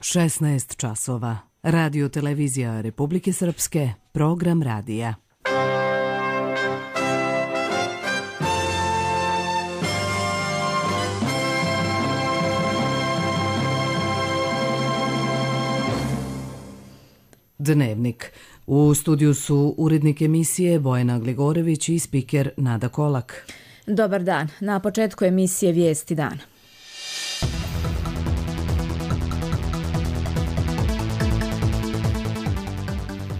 16 časova. Radio televizija Republike Srpske, program radija. Dnevnik. U studiju su urednik emisije Bojana Gligorević i spiker Nada Kolak. Dobar dan. Na početku emisije Vijesti dana.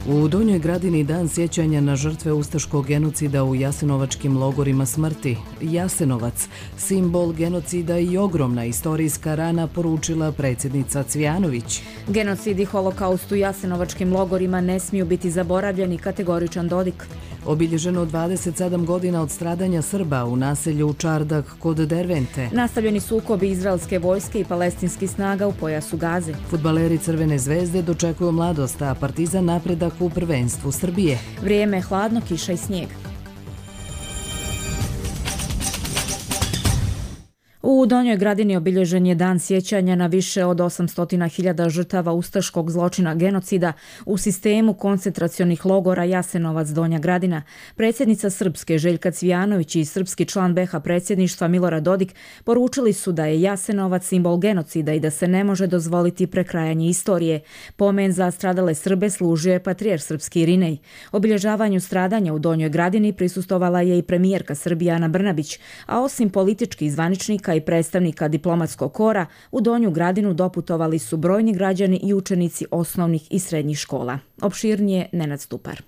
U Donjoj Gradini dan sjećanja na žrtve ustaškog genocida u jasenovačkim logorima smrti. Jasenovac, simbol genocida i ogromna istorijska rana, poručila predsjednica Cvijanović. Genocid i holokaust u jasenovačkim logorima ne smiju biti zaboravljeni, kategoričan Dodik. Obilježeno 27 godina od stradanja Srba u naselju Čardak kod Dervente. Nastavljeni sukobi izraelske vojske i palestinskih snaga u pojasu Gaze. Fudbaleri Crvene zvezde dočekuju mladost, a Partizan napredak u prvenstvu Srbije. Vrijeme hladno, kiša i snijeg. U Donjoj Gradini obilježen je dan sjećanja na više od 800.000 žrtava ustaškog zločina genocida u sistemu koncentracionih logora Jasenovac Donja Gradina. Predsjednica Srpske Željka Cvijanović i srpski član BiH predsjedništva Milorad Dodik poručili su da je Jasenovac simbol genocida i da se ne može dozvoliti prekrajanje istorije. Pomen za stradale Srbe služio je patrijarh srpski Irinej. Obilježavanju stradanja u Donjoj Gradini prisustvovala je i premijerka Srbije Ana Brnabić, a osim političkih zvaničnika i predstavnika diplomatskog kora, u Donju Gradinu doputovali su brojni građani i učenici osnovnih i srednjih škola. Opširnije Nenad Stupar.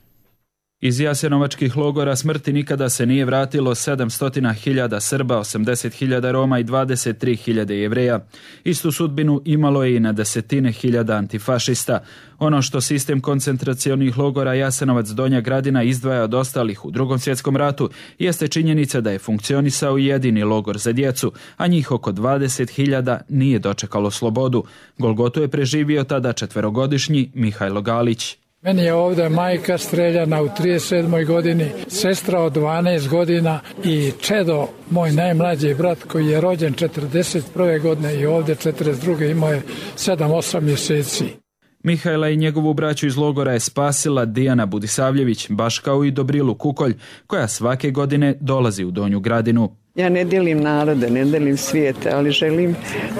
Iz jasenovačkih logora smrti nikada se nije vratilo 700.000 Srba, 80.000 Roma i 23.000 Jevreja. Istu sudbinu imalo je i na desetine hiljada antifašista. Ono što sistem koncentracionih logora Jasenovac Donja Gradina izdvaja od ostalih u Drugom svjetskom ratu jeste činjenica da je funkcionisao jedini logor za djecu, a njih oko 20.000 nije dočekalo slobodu. Golgotu je preživio tada 4-godišnji Mihajlo Galić. Meni je ovdje majka streljana u 37. godini, sestra od 12 godina i čedo, moj najmlađi brat koji je rođen 41. godine i ovdje 42. imao je 7-8 mjeseci. Mihajla i njegovu braću iz logora je spasila Dijana Budisavljević, baš kao i Dobrilu Kukolj, koja svake godine dolazi u Donju Gradinu. Ja ne dijelim narode, ne dijelim svijete, ali želim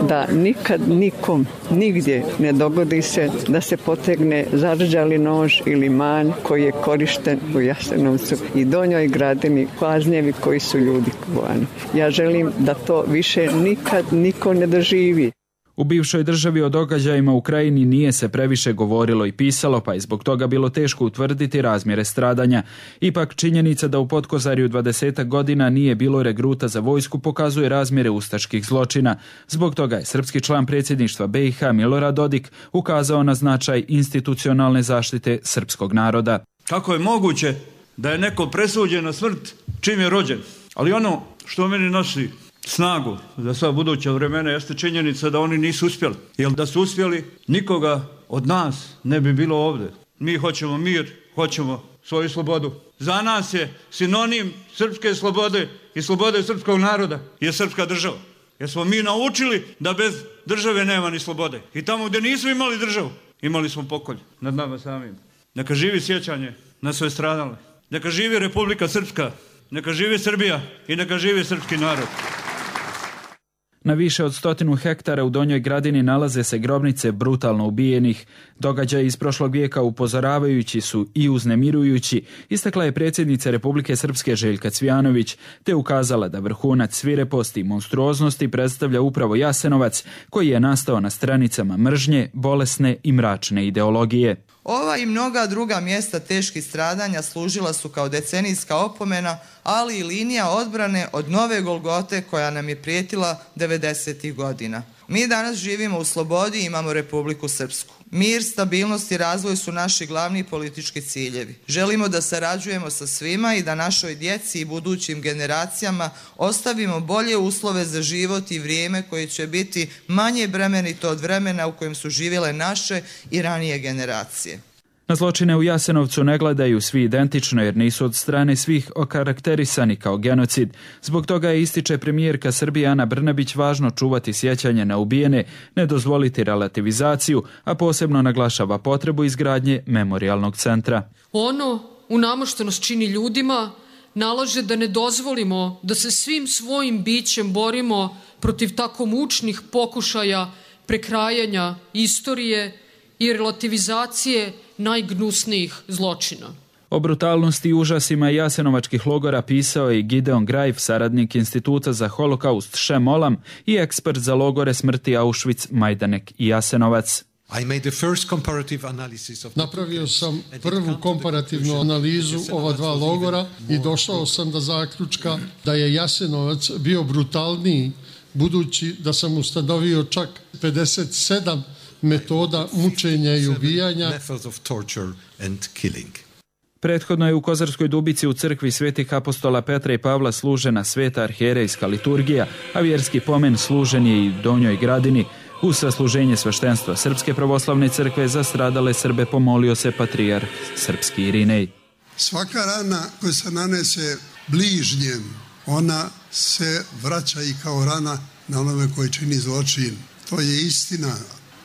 da nikad nikom, nigdje ne dogodi se da se potegne zarđali nož ili manj koji je korišten u Jasenovcu i Donjoj Gradini, kaznjevi koji su ljudi kovani. Ja želim da to više nikad niko ne doživi. U bivšoj državi o događajima u Krajini nije se previše govorilo i pisalo, pa je zbog toga bilo teško utvrditi razmjere stradanja. Ipak činjenica da u Potkozarju 20 godina nije bilo regruta za vojsku pokazuje razmjere ustaških zločina. Zbog toga je srpski član predsjedništva BiH Milorad Dodik ukazao na značaj institucionalne zaštite srpskog naroda. Kako je moguće da je neko presuđen na smrt čim je rođen? Ali ono što meni nosi snagu za sva buduća vremena jeste činjenica da oni nisu uspjeli. Jer da su uspjeli, nikoga od nas ne bi bilo ovdje. Mi hoćemo mir, hoćemo svoju slobodu. Za nas je sinonim srpske slobode i slobode srpskog naroda je srpska država. Jer smo mi naučili da bez države nema ni slobode. I tamo gdje nismo imali državu, imali smo pokolj nad nama samim. Neka živi sjećanje na sve stradale. Neka živi Republika Srpska, neka živi Srbija i neka živi srpski narod. Na više od 100 hektara u Donjoj Gradini nalaze se grobnice brutalno ubijenih. Događaji iz prošlog vijeka upozoravajući su i uznemirujući, istakla je predsjednica Republike Srpske Željka Cvijanović, te ukazala da vrhunac svireposti i monstruoznosti predstavlja upravo Jasenovac, koji je nastao na stranicama mržnje, bolesne i mračne ideologije. Ova i mnoga druga mjesta teških stradanja služila su kao decenijska opomena, ali i linija odbrane od nove Golgote koja nam je prijetila 90. godina. Mi danas živimo u slobodi i imamo Republiku Srpsku. Mir, stabilnost i razvoj su naši glavni politički ciljevi. Želimo da sarađujemo sa svima i da našoj djeci i budućim generacijama ostavimo bolje uslove za život i vrijeme koje će biti manje bremenito od vremena u kojem su živjele naše i ranije generacije. Na zločine u Jasenovcu ne gledaju svi identično jer nisu od strane svih okarakterisani kao genocid. Zbog toga je, ističe premijerka Srbije Ana Brnabić, važno čuvati sjećanje na ubijene, ne dozvoliti relativizaciju, a posebno naglašava potrebu izgradnje memorijalnog centra. Ono u nama što nas čini ljudima nalaže da ne dozvolimo da se svim svojim bićem borimo protiv tako mučnih pokušaja prekrajanja istorije i relativizacije najgnusnijih zločina. O brutalnosti i užasima jasenovačkih logora pisao je Gideon Greif, saradnik Instituta za holokaust Shem Olam i ekspert za logore smrti Auschwitz, Majdanek i Jasenovac. Napravio sam prvu komparativnu analizu ova dva logora i došao sam do zaključka da je Jasenovac bio brutalniji, budući da sam ustanovio čak 57 metoda mučenja i ubijanja. Prethodno je u Kozarskoj Dubici u crkvi svetih apostola Petra i Pavla služena sveta arhijerejska liturgija, a vjerski pomen služen je i u Donjoj Gradini. Uz sasluženje sveštenstva Srpske pravoslavne crkve za stradale Srbe pomolio se patrijarh srpski Irinej. Svaka rana koja se nanese bližnjem, ona se vraća i kao rana na onome koji čini zločin. To je istina.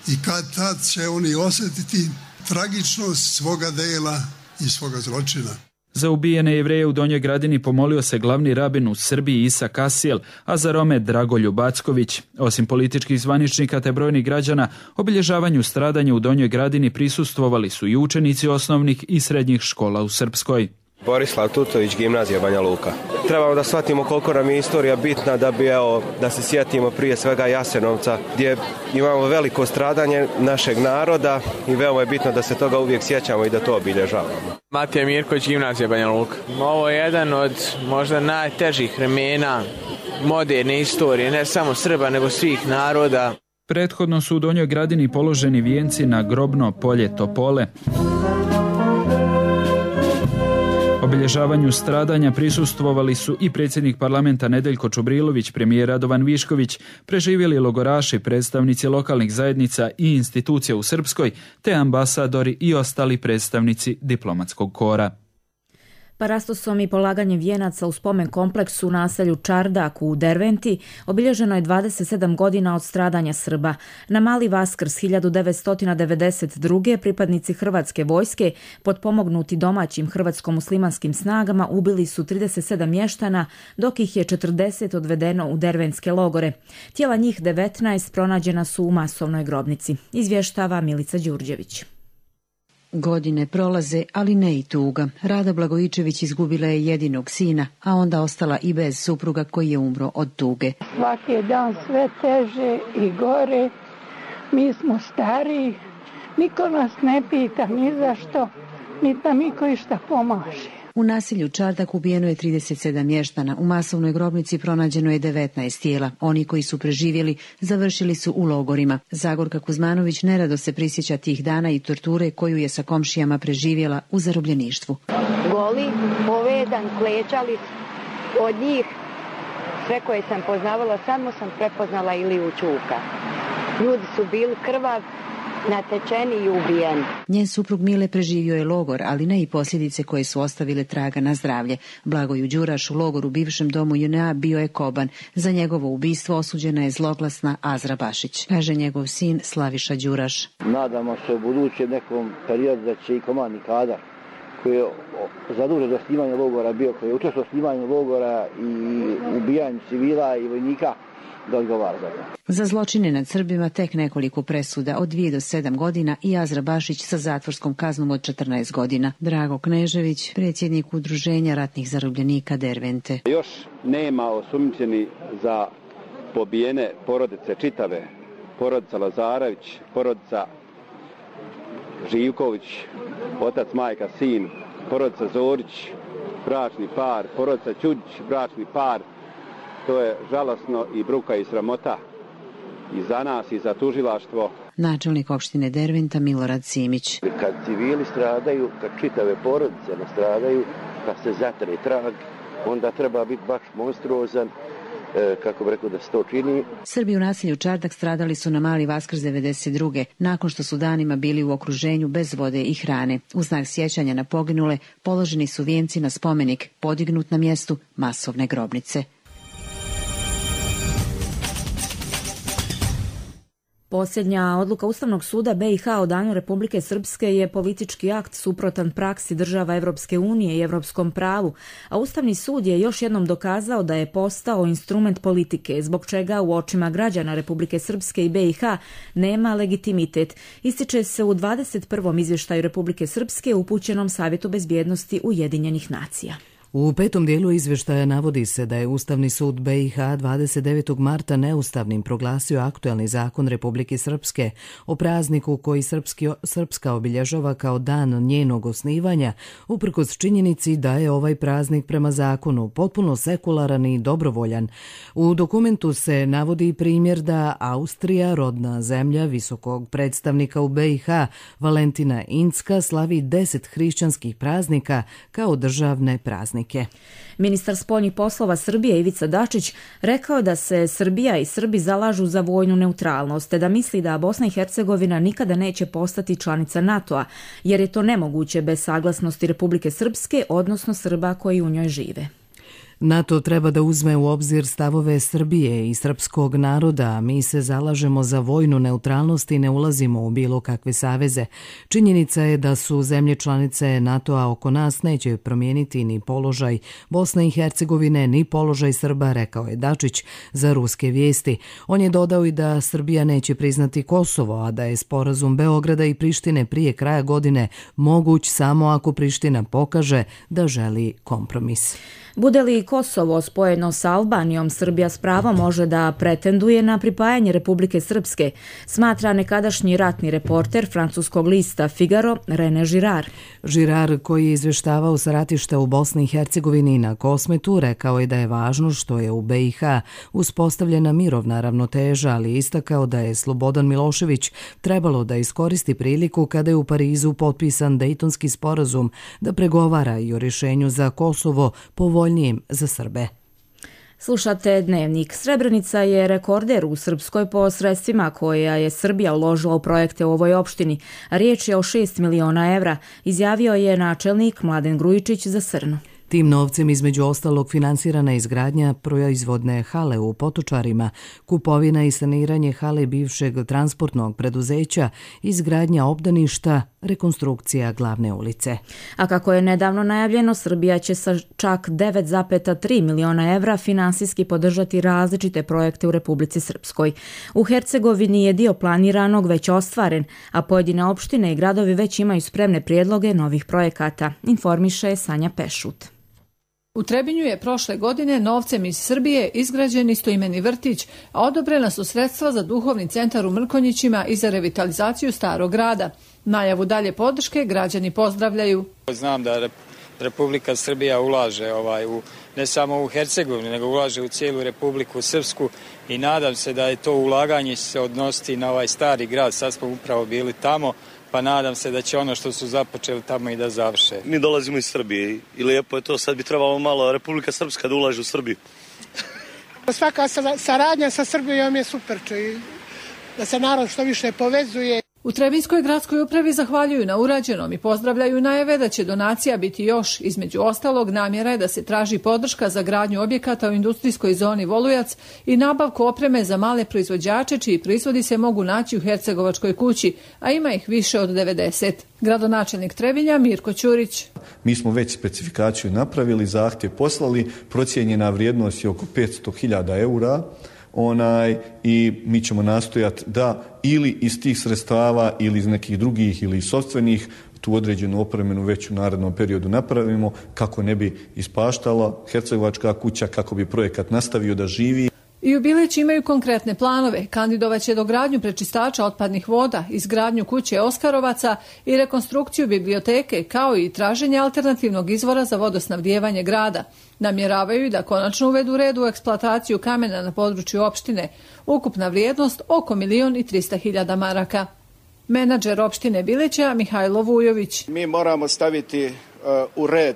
I kad tad će oni osjetiti tragičnost svoga dela i svoga zločina. Za ubijene Jevreje u Donjoj Gradini pomolio se glavni rabin u Srbiji Isa Kasijel, a za Rome Dragoljub Backović. Osim političkih zvaničnika te brojnih građana, obilježavanju stradanja u Donjoj Gradini prisustvovali su i učenici osnovnih i srednjih škola u Srpskoj. Borislav Tutović, Gimnazija Banja Luka. Trebamo da shvatimo koliko nam je istorija bitna da se sjetimo prije svega Jasenovca, gdje imamo veliko stradanje našeg naroda i veoma je bitno da se toga uvijek sjećamo i da to obilježavamo. Matija Mirković, Gimnazija Banja Luka. Ovo je jedan od možda najtežih vremena moderne istorije, ne samo Srba nego svih naroda. Prethodno su u Donjoj Gradini položeni vijenci na grobno polje Topole. Obilježavanju stradanja prisustvovali su i predsjednik parlamenta Nedeljko Čubrilović, premijer Radovan Višković, preživjeli logoraši, predstavnici lokalnih zajednica i institucija u Srpskoj, te ambasadori i ostali predstavnici diplomatskog kora. Parastosom i polaganjem vijenaca u spomen kompleksu u naselju Čardak u Derventi obilježeno je 27 godina od stradanja Srba. Na Mali Vaskrs 1992. pripadnici Hrvatske vojske, potpomognuti domaćim hrvatsko-muslimanskim snagama, ubili su 37 mještana, dok ih je 40 odvedeno u dervenske logore. Tijela njih 19 pronađena su u masovnoj grobnici. Izvještava Milica Đurđević. Godine prolaze, ali ne i tuga. Rada Blagojičević izgubila je jedinog sina, a onda ostala i bez supruga koji je umro od tuge. Svaki je dan sve teže i gore. Mi smo stariji, niko nas ne pita ni zašto, niti nam niko išta pomaže. U naselju Čardak ubijeno je 37 mještana. U masovnoj grobnici pronađeno je 19 tijela. Oni koji su preživjeli završili su u logorima. Zagorka Kuzmanović nerado se prisjeća tih dana i torture koju je sa komšijama preživjela u zarobljeništvu. Goli, povedan, klečali od njih. Sve koje sam poznavala, samo sam prepoznala Iliju Čuka. Ljudi su bili krvavi, natečeni i ubijeni. Njen suprug Mile preživio je logor, ali ne i posljedice koje su ostavile traga na zdravlje. Blagoju Đuraš u logoru bivšem domu JNA bio je koban. Za njegovo ubistvo osuđena je zloglasna Azra Bašić, kaže njegov sin Slaviša Đuraš. Nadamo se u budućem nekom periodu da će i komandni kadar koji je zadužen za snimanje logora bio, koji je učestvovao u snimanju logora i ubijanju civila i vojnika, da odgovara za to. Za zločine nad Srbima tek nekoliko presuda od 2 do 7 godina i Azra Bašić sa zatvorskom kaznom od 14 godina. Drago Knežević, predsjednik Udruženja ratnih zarobljenika Dervente. Još nema osumnjičeni za pobijene porodice čitave. Porodica Lazarević, porodica Živković, otac, majka, sin, porodica Zorić, bračni par, porodica Ćudić, bračni par. To je žalosno i bruka i sramota i za nas i za tužilaštvo. Načelnik opštine Derventa Milorad Simić. Kad civili stradaju, kad čitave porodice nastradaju, kad se zatre trag, onda treba biti baš monstruozan kako bi rekao da se to čini. Srbi u naselju Čardak stradali su na Mali Vaskrs 92. nakon što su danima bili u okruženju bez vode i hrane. U znak sjećanja na poginule položeni su vijenci na spomenik podignut na mjestu masovne grobnice. Posljednja odluka Ustavnog suda BiH o danju Republike Srpske je politički akt suprotan praksi država Evropske unije i evropskom pravu, a Ustavni sud je još jednom dokazao da je postao instrument politike, zbog čega u očima građana Republike Srpske i BiH nema legitimitet. Ističe se u 21. izvještaju Republike Srpske upućenom Savjetu bezbjednosti Ujedinjenih nacija. U 5. dijelu izvještaja navodi se da je Ustavni sud BiH 29. marta neustavnim proglasio aktuelni zakon Republike Srpske o prazniku koji Srpska obilježava kao dan njenog osnivanja, uprkos činjenici da je ovaj praznik prema zakonu potpuno sekularan i dobrovoljan. U dokumentu se navodi primjer da Austrija, rodna zemlja visokog predstavnika u BiH, Valentina Incka, slavi 10 hrišćanskih praznika kao državne praznike. Ministar spoljnih poslova Srbije Ivica Dačić rekao da se Srbija i Srbi zalažu za vojnu neutralnost, te da misli da Bosna i Hercegovina nikada neće postati članica NATO-a, jer je to nemoguće bez saglasnosti Republike Srpske, odnosno Srba koji u njoj žive. NATO treba da uzme u obzir stavove Srbije i srpskog naroda, a mi se zalažemo za vojnu neutralnost i ne ulazimo u bilo kakve saveze. Činjenica je da su zemlje članice NATO-a oko nas neće promijeniti ni položaj Bosne i Hercegovine, ni položaj Srba, rekao je Dačić za ruske vijesti. On je dodao i da Srbija neće priznati Kosovo, a da je sporazum Beograda i Prištine prije kraja godine moguć samo ako Priština pokaže da želi kompromis. Bude li Kosovo spojeno sa Albanijom, Srbija s pravom može da pretenduje na pripajanje Republike Srpske, smatra nekadašnji ratni reporter francuskog lista Figaro René Girard. Girard, koji je izvještavao sa ratišta u Bosni i Hercegovini na Kosmetu, rekao je da je važno što je u BiH uspostavljena mirovna ravnoteža, ali istakao da je Slobodan Milošević trebalo da iskoristi priliku kada je u Parizu potpisan Dejtonski sporazum da pregovara i o rješenju za Kosovo povoljnijim za Srbe. Slušate Dnevnik. Srebrenica je rekorder u Srpskoj po sredstvima koja je Srbija uložila u projekte u ovoj opštini. Riječ je o 6 miliona evra, izjavio je načelnik Mladen Grujičić za Srnu. Tim novcem između ostalog finansirana izgradnja proizvodne hale u Potočarima, kupovina i saniranje hale bivšeg transportnog preduzeća, izgradnja obdaništa, rekonstrukcija glavne ulice. A kako je nedavno najavljeno, Srbija će sa čak 9,3 miliona evra finansijski podržati različite projekte u Republici Srpskoj. U Hercegovini je dio planiranog već ostvaren, a pojedine opštine i gradovi već imaju spremne prijedloge novih projekata, informiše Sanja Pešut. U Trebinju je prošle godine novcem iz Srbije izgrađen istoimeni vrtić, a odobrena su sredstva za duhovni centar u Mrkonjićima i za revitalizaciju starog grada. Najavu dalje podrške građani pozdravljaju. Znam da Republika Srbija ulaže ne samo u Hercegovini, nego ulaže u cijelu Republiku Srpsku i nadam se da je to ulaganje se odnositi na ovaj stari grad. Sad smo upravo bili tamo, pa nadam se da će ono što su započeli tamo i da završe. Mi dolazimo iz Srbije i lijepo je to, sad bi trebalo malo Republika Srpska da ulaže u Srbiju. Svaka saradnja sa Srbijom je super, da se narod što više povezuje. U Trebinskoj gradskoj upravi zahvaljuju na urađenom i pozdravljaju najave da će donacija biti još. Između ostalog, namjera je da se traži podrška za gradnju objekata u industrijskoj zoni Volujac i nabavku opreme za male proizvođače čiji proizvodi se mogu naći u Hercegovačkoj kući, a ima ih više od 90. Gradonačelnik Trebinja Mirko Ćurić. Mi smo već specifikaciju napravili, zahtjev poslali, procijenjena vrijednost je oko 500.000 eura. I mi ćemo nastojati da ili iz tih sredstava ili iz nekih drugih ili sopstvenih tu određenu opremenu već u narednom periodu napravimo kako ne bi ispaštala Hercegovačka kuća, kako bi projekat nastavio da živi. I u Bileći imaju konkretne planove. Kandidovat će dogradnju prečistača otpadnih voda, izgradnju kuće Oskarovaca i rekonstrukciju biblioteke, kao i traženje alternativnog izvora za vodosnabdijevanje grada. Namjeravaju da konačno uvedu red u eksploataciju kamena na području opštine. Ukupna vrijednost oko 1.300.000 maraka. Menadžer opštine Bileća Mihajlo Vujović. Mi moramo staviti u red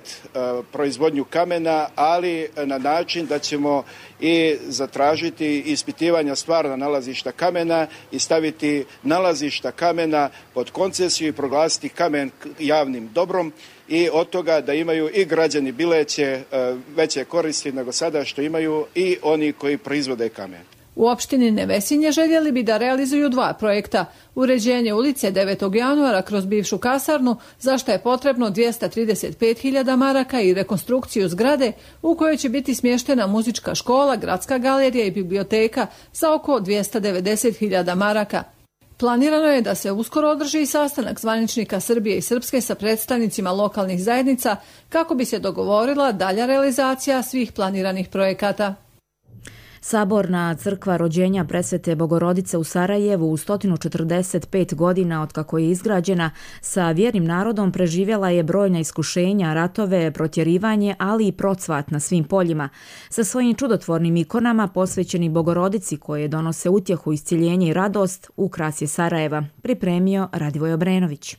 proizvodnju kamena, ali na način da ćemo i zatražiti ispitivanja stvarna nalazišta kamena i staviti nalazišta kamena pod koncesiju i proglasiti kamen javnim dobrom i od toga da imaju i građani Bileće veće koristi nego sada što imaju i oni koji proizvode kamen. U opštini Nevesinje željeli bi da realizuju 2 projekta. Uređenje ulice 9. januara kroz bivšu kasarnu, za što je potrebno 235.000 maraka i rekonstrukciju zgrade u kojoj će biti smještena muzička škola, gradska galerija i biblioteka za oko 290.000 maraka. Planirano je da se uskoro održi i sastanak zvaničnika Srbije i Srpske sa predstavnicima lokalnih zajednica kako bi se dogovorila dalja realizacija svih planiranih projekata. Saborna crkva rođenja Presvete Bogorodice u Sarajevu u 145 godina otkako je izgrađena sa vjernim narodom preživjela je brojna iskušenja, ratove, protjerivanje, ali i procvat na svim poljima. Sa svojim čudotvornim ikonama posvećeni Bogorodici koje donose utjehu, isciljenje i radost, ukras je Sarajeva, pripremio Radivoj Obrenović.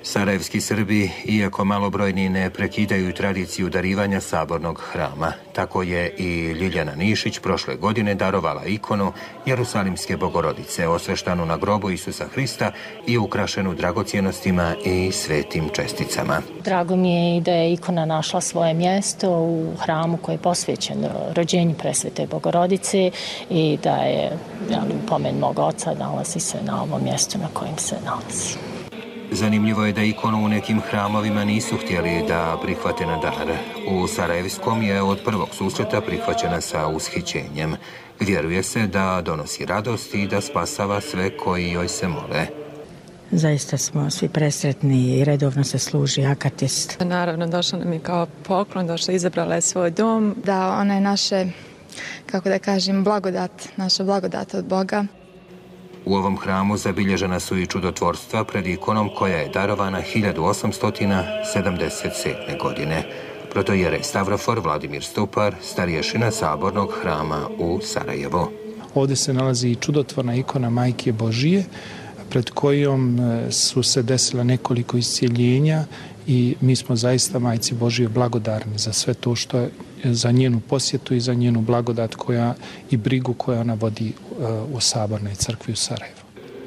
Sarajevski Srbi, iako malobrojni, ne prekidaju tradiciju darivanja sabornog hrama. Tako je i Ljiljana Nišić prošle godine darovala ikonu Jerusalimske Bogorodice, osveštanu na grobu Isusa Hrista i ukrašenu dragocjenostima i svetim česticama. Drago mi je i da je ikona našla svoje mjesto u hramu koji je posvećen rođenju Presvete Bogorodice i da je pomen mog oca nalazi se na ovom mjestu na kojem se nalazi. Zanimljivo je da ikonu u nekim hramovima nisu htjeli da prihvate na dar. U Sarajevskom je od prvog susreta prihvaćena sa ushićenjem. Vjeruje se da donosi radost i da spasava sve koji joj se mole. Zaista smo svi presretni i redovno se služi akatist. Naravno, došla nam je kao poklon, došla izabrala je svoj dom. Da, ona je naše, kako da kažem, blagodat, naša blagodat od Boga. U ovom hramu zabilježena su i čudotvorstva pred ikonom koja je darovana 1877. godine. Protojerej Stavrofor Vladimir Stupar, starješina sabornog hrama u Sarajevu. Ovdje se nalazi i čudotvorna ikona Majke Božije, pred kojom su se desila nekoliko iscijeljenja i mi smo zaista Majci Božije blagodarni za sve to što je, za njenu posjetu i za njenu blagodat i brigu koju ona vodi u Sabornoj crkvi u Sarajevu.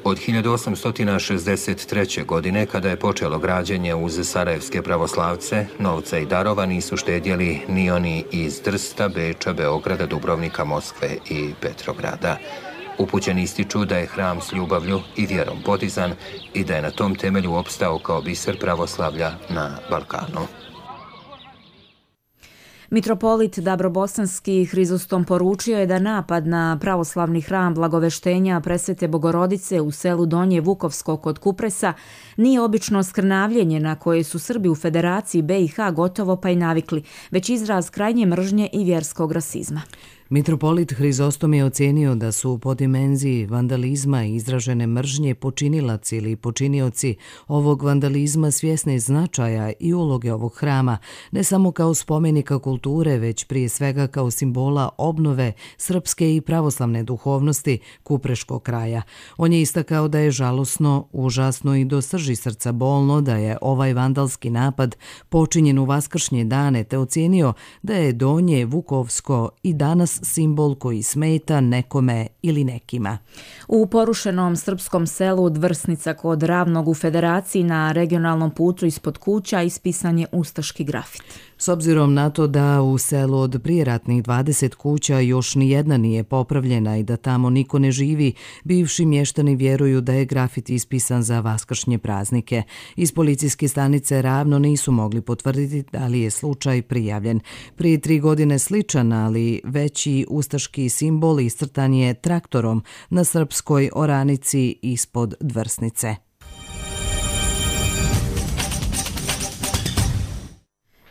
Od 1863. godine, kada je počelo građenje uz sarajevske pravoslavce, novca i darova nisu štedjeli ni oni iz Trsta, Beča, Beograda, Dubrovnika, Moskve i Petrograda. Upućeni ističu da je hram s ljubavlju i vjerom podizan i da je na tom temelju opstao kao biser pravoslavlja na Balkanu. Mitropolit Dabrobosanski Hrizostom poručio je da napad na pravoslavni hram Blagoveštenja Presvete Bogorodice u selu Donje Vukovsko kod Kupresa nije obično skrnavljenje na koje su Srbi u Federaciji BiH gotovo pa i navikli, već izraz krajnje mržnje i vjerskog rasizma. Mitropolit Hrizostom je ocijenio da su po dimenziji vandalizma i izražene mržnje počinilac ili počinioci ovog vandalizma svjesni značaja i uloge ovog hrama, ne samo kao spomenika kulture, već prije svega kao simbola obnove srpske i pravoslavne duhovnosti Kupreškog kraja. On je istakao da je žalosno, užasno i do srži srca bolno da je ovaj vandalski napad počinjen u vaskršnje dane, te ocijenio da je Donje Vukovsko i danas simbol koji smeta nekome ili nekima. U porušenom srpskom selu Dvrsnica kod Ravnog u Federaciji na regionalnom putu ispod kuća ispisan je ustaški grafit. S obzirom na to da u selu od prijeratnih 20 kuća još nijedna nije popravljena i da tamo niko ne živi, bivši mještani vjeruju da je grafit ispisan za vaskršnje praznike. Iz policijske stanice Ravno nisu mogli potvrditi da li je slučaj prijavljen. Prije 3 godine sličan, ali veći ustaški simbol iscrtan je traktorom na srpskoj oranici ispod Dvrsnice.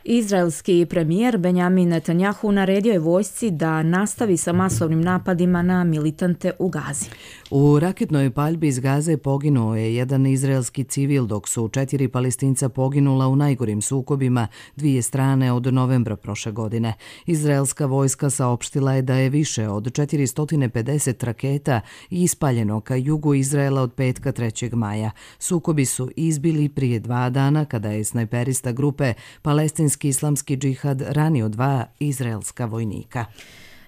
Izraelski premijer Benjamin Netanjahu naredio je vojsci da nastavi sa masovnim napadima na militante u Gazi. U raketnoj paljbi iz Gaze poginuo je jedan izraelski civil, dok su 4 Palestinca poginula u najgorim sukobima dvije strane od novembra prošle godine. Izraelska vojska saopštila je da je više od 450 raketa ispaljeno ka jugu Izraela od petka 3. maja. Sukobi su izbili prije 2 dana kada je snajperista grupe Palestinski islamski džihad ranio 2 izraelska vojnika.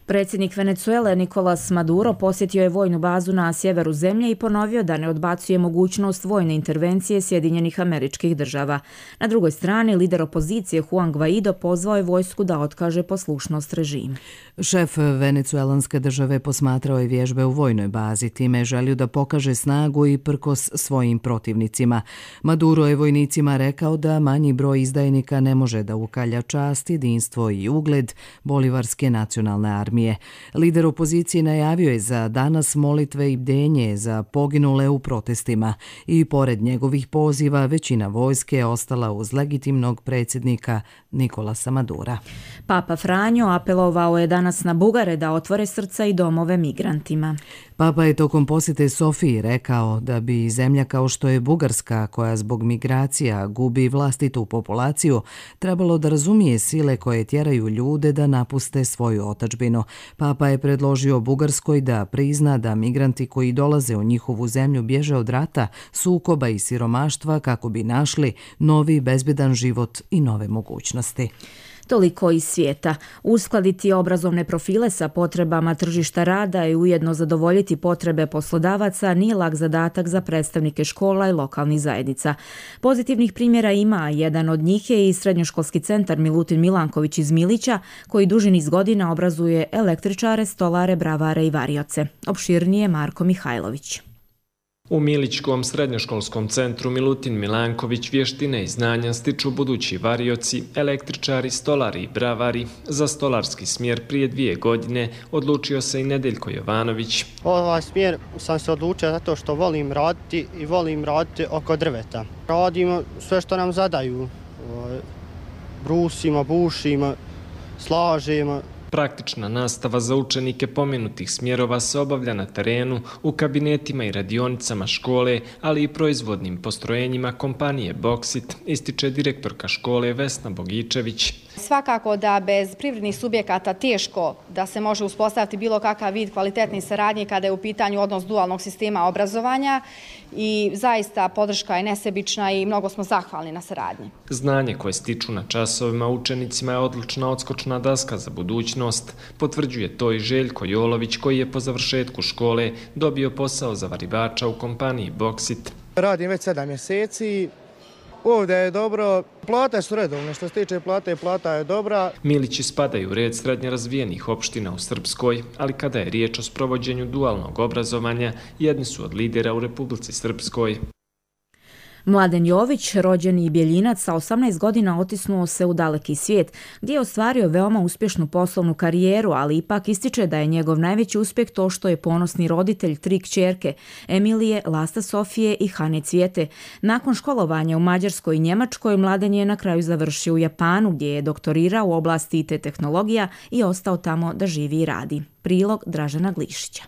Predsjednik Venezuele Nicolás Maduro posjetio je vojnu bazu na sjeveru zemlje i ponovio da ne odbacuje mogućnost vojne intervencije Sjedinjenih Američkih Država. Na drugoj strani, lider opozicije Juan Guaido pozvao je vojsku da otkaže poslušnost režimu. Šef venecuelanske države posmatrao je vježbe u vojnoj bazi, time je želio da pokaže snagu i prkos svojim protivnicima. Maduro je vojnicima rekao da manji broj izdajnika ne može da ukalja čast, jedinstvo i ugled Bolivarske nacionalne armije. Lider opozicije najavio je za danas molitve i bdenje za poginule u protestima i pored njegovih poziva većina vojske je ostala uz legitimnog predsjednika Nicolasa Madura. Papa Franjo apelovao je danas na Bugare da otvore srca i domove migrantima. Papa je tokom posjete Sofiji rekao da bi zemlja kao što je Bugarska, koja zbog migracija gubi vlastitu populaciju, trebalo da razumije sile koje tjeraju ljude da napuste svoju otadžbinu. Papa je predložio Bugarskoj da prizna da migranti koji dolaze u njihovu zemlju bježe od rata, sukoba i siromaštva kako bi našli novi bezbedan život i nove mogućnosti. Toliko iz svijeta. Uskladiti obrazovne profile sa potrebama tržišta rada i ujedno zadovoljiti potrebe poslodavaca nije lak zadatak za predstavnike škola i lokalnih zajednica. Pozitivnih primjera ima, jedan od njih je i srednjoškolski centar Milutin Milanković iz Milića, koji duži niz godina obrazuje električare, stolare, bravare i varioce. Opširnije Marko Mihajlović. U Milićkom srednjoškolskom centru Milutin Milanković vještine i znanja stiču budući varioci, električari, stolari i bravari. Za stolarski smjer prije 2 godine odlučio se i Nedeljko Jovanović. Ovaj smjer sam se odlučio zato što volim raditi i volim raditi oko drveta. Radimo sve što nam zadaju. Brusimo, bušimo, slažemo. Praktična nastava za učenike pomenutih smjerova se obavlja na terenu, u kabinetima i radionicama škole, ali i proizvodnim postrojenjima kompanije Boksit, ističe direktorka škole Vesna Bogičević. Svakako da bez privrednih subjekata teško da se može uspostaviti bilo kakav vid kvalitetne saradnje kada je u pitanju odnos dualnog sistema obrazovanja i zaista podrška je nesebična i mnogo smo zahvalni na saradnji. Znanje koje stiču na časovima učenicima je odlična odskočna daska za budućnost. Potvrđuje to i Željko Jolović koji je po završetku škole dobio posao za varivača u kompaniji Boksit. Radim već 7 mjeseci. Ovdje je dobro, plate su redovne, što se tiče plate, plata je dobra. Milići spadaju u red srednje razvijenih opština u Srpskoj, ali kada je riječ o sprovođenju dualnog obrazovanja, jedni su od lidera u Republici Srpskoj. Mladen Jović, rođeni Bjeljinac, sa 18 godina otisnuo se u daleki svijet, gdje je ostvario veoma uspješnu poslovnu karijeru, ali ipak ističe da je njegov najveći uspjeh to što je ponosni roditelj 3 kćerke, Emilije, Lasta Sofije i Hane Cvijete. Nakon školovanja u Mađarskoj i Njemačkoj, Mladen je na kraju završio u Japanu, gdje je doktorirao u oblasti IT tehnologija i ostao tamo da živi i radi. Prilog Dražena Glišića.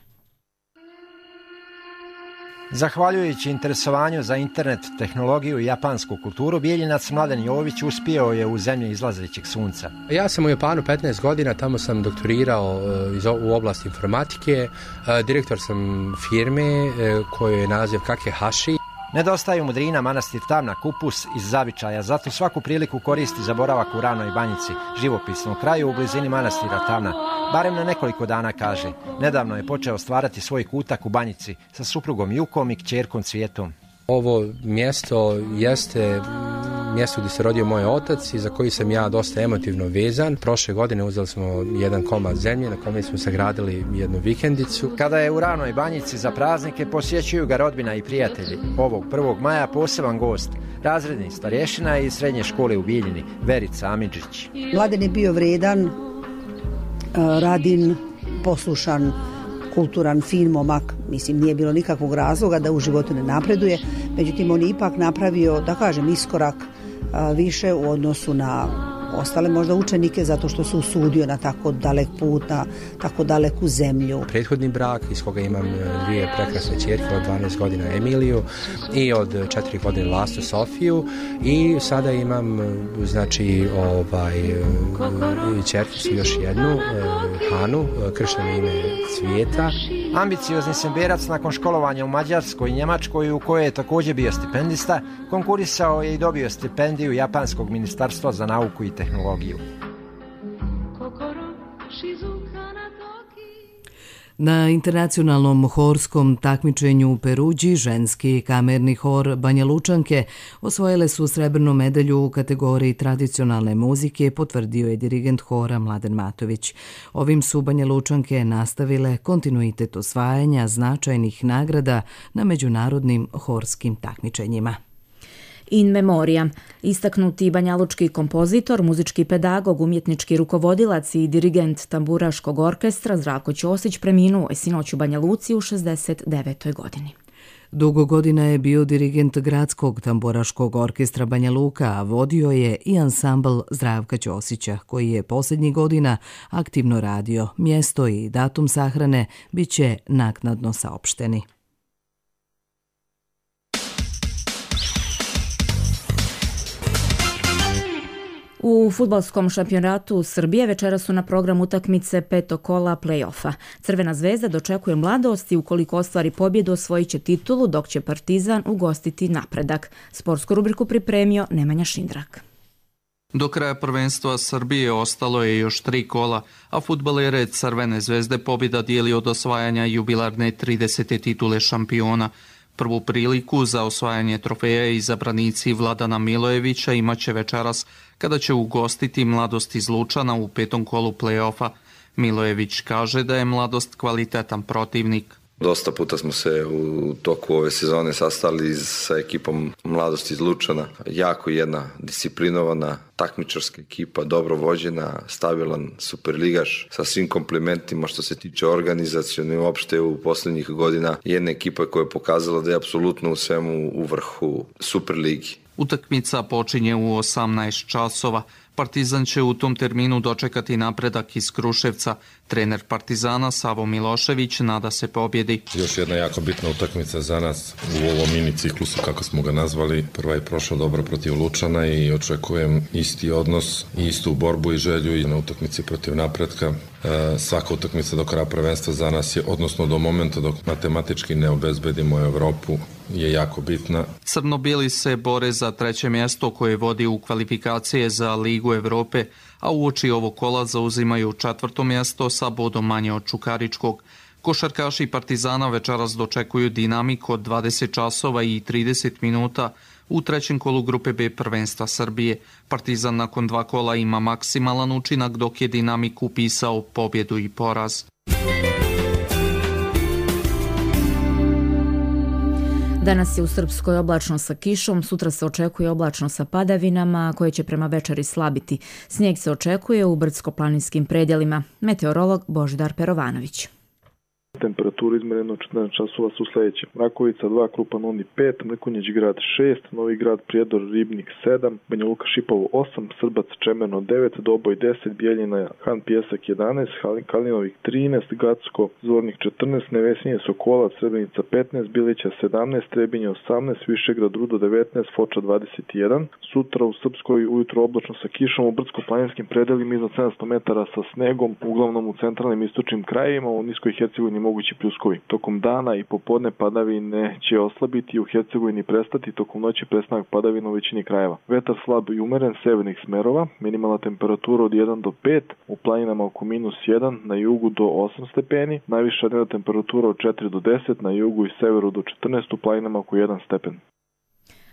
Zahvaljujući interesovanju za internet, tehnologiju i japansku kulturu, Bijeljinac Mladen Jović uspio je u zemlji izlazećeg sunca. Ja sam u Japanu 15 godina, tamo sam doktorirao u oblasti informatike, direktor sam firme kojoj je naziv Kakehashi. Nedostaju mudrina manastir Tamna Kupus iz zavičaja, zato svaku priliku koristi za boravak u Ranoj Banjici, živopisnom kraju u blizini manastira Tamna. Barem na nekoliko dana, kaže. Nedavno je počeo stvarati svoj kutak u Banjici sa suprugom Jukom i kćerkom Cvijetom. Ovo mjesto jeste mjesto gdje se rodio moj otac i za koji sam ja dosta emotivno vezan. Prošle godine uzeli smo jedan komad zemlje na kome smo sagradili jednu vikendicu. Kada je u Ranoj Banjici za praznike, posjećuju ga rodbina i prijatelji. Ovog 1. maja poseban gost, razredni starješina iz srednje škole u Bijeljini, Verica Amidžić. Mladen je bio vredan, radin, poslušan, kulturan, fin momak. Mislim, nije bilo nikakvog razloga da u životu ne napreduje. Međutim, on je ipak napravio, da kažem, iskorak više u odnosu na ostale možda učenike zato što se usudio na tako dalek put, na tako daleku zemlju. Prethodni brak iz koga imam 2 prekrasne ćerke, od 12 godina Emiliju i od 4 godine Lastu Sofiju, i sada imam znači ćerkicu još jednu, Hanu, kršteno ime Cvijeta. Ambiciozni semberac nakon školovanja u Mađarskoj i Njemačkoj, u kojoj je također bio stipendista, konkurisao je i dobio stipendiju Japanskog ministarstva za nauku i tehnologiju. Na internacionalnom horskom takmičenju u Peruđi ženski kamerni hor Banja Lučanke osvojile su srebrnu medalju u kategoriji tradicionalne muzike, potvrdio je dirigent hora Mladen Matović. Ovim su Banja Lučanke nastavile kontinuitet osvajanja značajnih nagrada na međunarodnim horskim takmičenjima. In memoriam. Istaknuti banjalučki kompozitor, muzički pedagog, umjetnički rukovodilac i dirigent tamburaškog orkestra Zdravko Ćosić preminuo je sinoć u Banja Luci u 69. godini. Dugo godina je bio dirigent Gradskog tamburaškog orkestra Banja Luka, a vodio je i ansambl Zdravka Ćosića, koji je posljednjih godina aktivno radio. Mjesto i datum sahrane bit će naknadno saopšteni. U fudbalskom šampionatu Srbije večera su na programu utakmice 5. kola play-offa. Crvena zvezda dočekuje Mladost i ukoliko ostvari pobjedu osvojit će titulu, dok će Partizan ugostiti Napredak. Sportsku rubriku pripremio Nemanja Šindrak. Do kraja prvenstva Srbije ostalo je još 3 kola, a fudbalere Crvene zvezde pobjeda dijeli od osvajanja jubilarne 30. titule šampiona. Prvu priliku za osvajanje trofeja izabranici Vladana Milojevića imaće večeras kada će ugostiti Mladost iz Lučana u 5. kolu play-offa. Milojević kaže da je Mladost kvalitetan protivnik. Dosta puta smo se u toku ove sezone sastali sa ekipom Mladosti iz Lučana. Jako jedna disciplinovana, takmičarska ekipa, dobro vođena, stabilan superligaš sa svim komplimentima što se tiče organizacione, uopšte u posljednjih godina jedna ekipa koja je pokazala da je apsolutno u svemu u vrhu Superligi. Utakmica počinje u 18 časova. Partizan će u tom terminu dočekati Napredak iz Kruševca. Trener Partizana Savo Milošević nada se pobjedi. Još jedna jako bitna utakmica za nas u ovom mini ciklusu, kako smo ga nazvali. Prva je prošla dobro protiv Lučana i očekujem isti odnos, istu borbu i želju i na utakmici protiv Napredka. Svaka utakmica do kraja prvenstva za nas je, odnosno do momenta dok matematički ne obezbedimo Evropu, je jako bitna. Crno-bijeli se bore za 3. mjesto koje vodi u kvalifikacije za Ligu Evrope, a uoči ovog kola zauzimaju 4. mjesto sa bodom manje od Čukaričkog. Košarkaši Partizana večeras dočekuju Dinamik od 20 časova i 30 minuta u 3. kolu grupe B prvenstva Srbije. Partizan nakon 2 kola ima maksimalan učinak, dok je Dinamik upisao pobjedu i poraz. Danas je u Srpskoj oblačno sa kišom, sutra se očekuje oblačno sa padavinama koje će prema večeri slabiti. Snijeg se očekuje u brdsko-planinskim predjelima. Meteorolog Božidar Perovanović. Temperatura izmerena 14 časova su sljedeće. Rakovica 2, Krupan Oni 5, Mrkonjić grad 6, Novi grad Prijedor Ribnik 7, Banja Luka Šipovo 8, Srbac Čemerno 9, Doboj 10, Bijeljina Han Pjesak 11, Kalinovik 13, Gacko Zvornik 14, Nevesinje Sokola Srebrenica 15, Bilića 17, Trebinje 18, Višegrad Rudo 19, Foča 21. Sutra u Srpskoj ujutro oblačno sa kišom, u brdsko-planinskim predelima iznad 700 metara sa snegom, uglavnom u centralnim i istočnim krajevima, u Niskoj Hercegovini mogući pljuskovi. Tokom dana i popodne padavine će oslabiti i u Hercegovini prestati, tokom noći prestanak padavina u većini krajeva. Vetar slab i umeren severnih smerova, minimalna temperatura od 1 do 5, u planinama oko -1, na jugu do 8 stepeni, najviša dnevna temperatura od 4 do 10, na jugu i severu do 14, u planinama oko 1 stepen.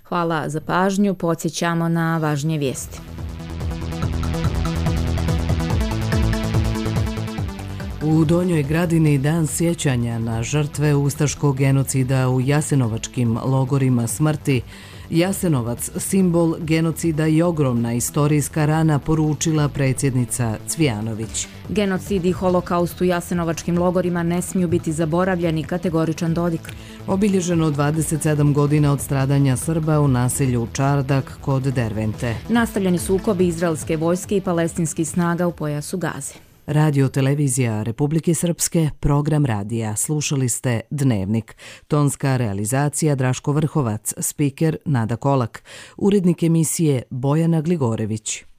Hvala za pažnju, podsjećamo na važnije vijesti. U Donjoj Gradini dan sjećanja na žrtve ustaškog genocida u jasenovačkim logorima smrti. Jasenovac, simbol genocida i ogromna istorijska rana, poručila predsjednica Cvijanović. Genocid i holokaust u jasenovačkim logorima ne smiju biti zaboravljeni, kategoričan Dodik. Obilježeno 27 godina od stradanja Srba u naselju Čardak kod Dervente. Nastavljeni sukobi izraelske vojske i palestinskih snaga u pojasu Gaze. Radio televizija Republike Srpske, program radija. Slušali ste Dnevnik. Tonska realizacija Draško Vrhovac, spiker Nada Kolak, urednik emisije Bojana Gligorević.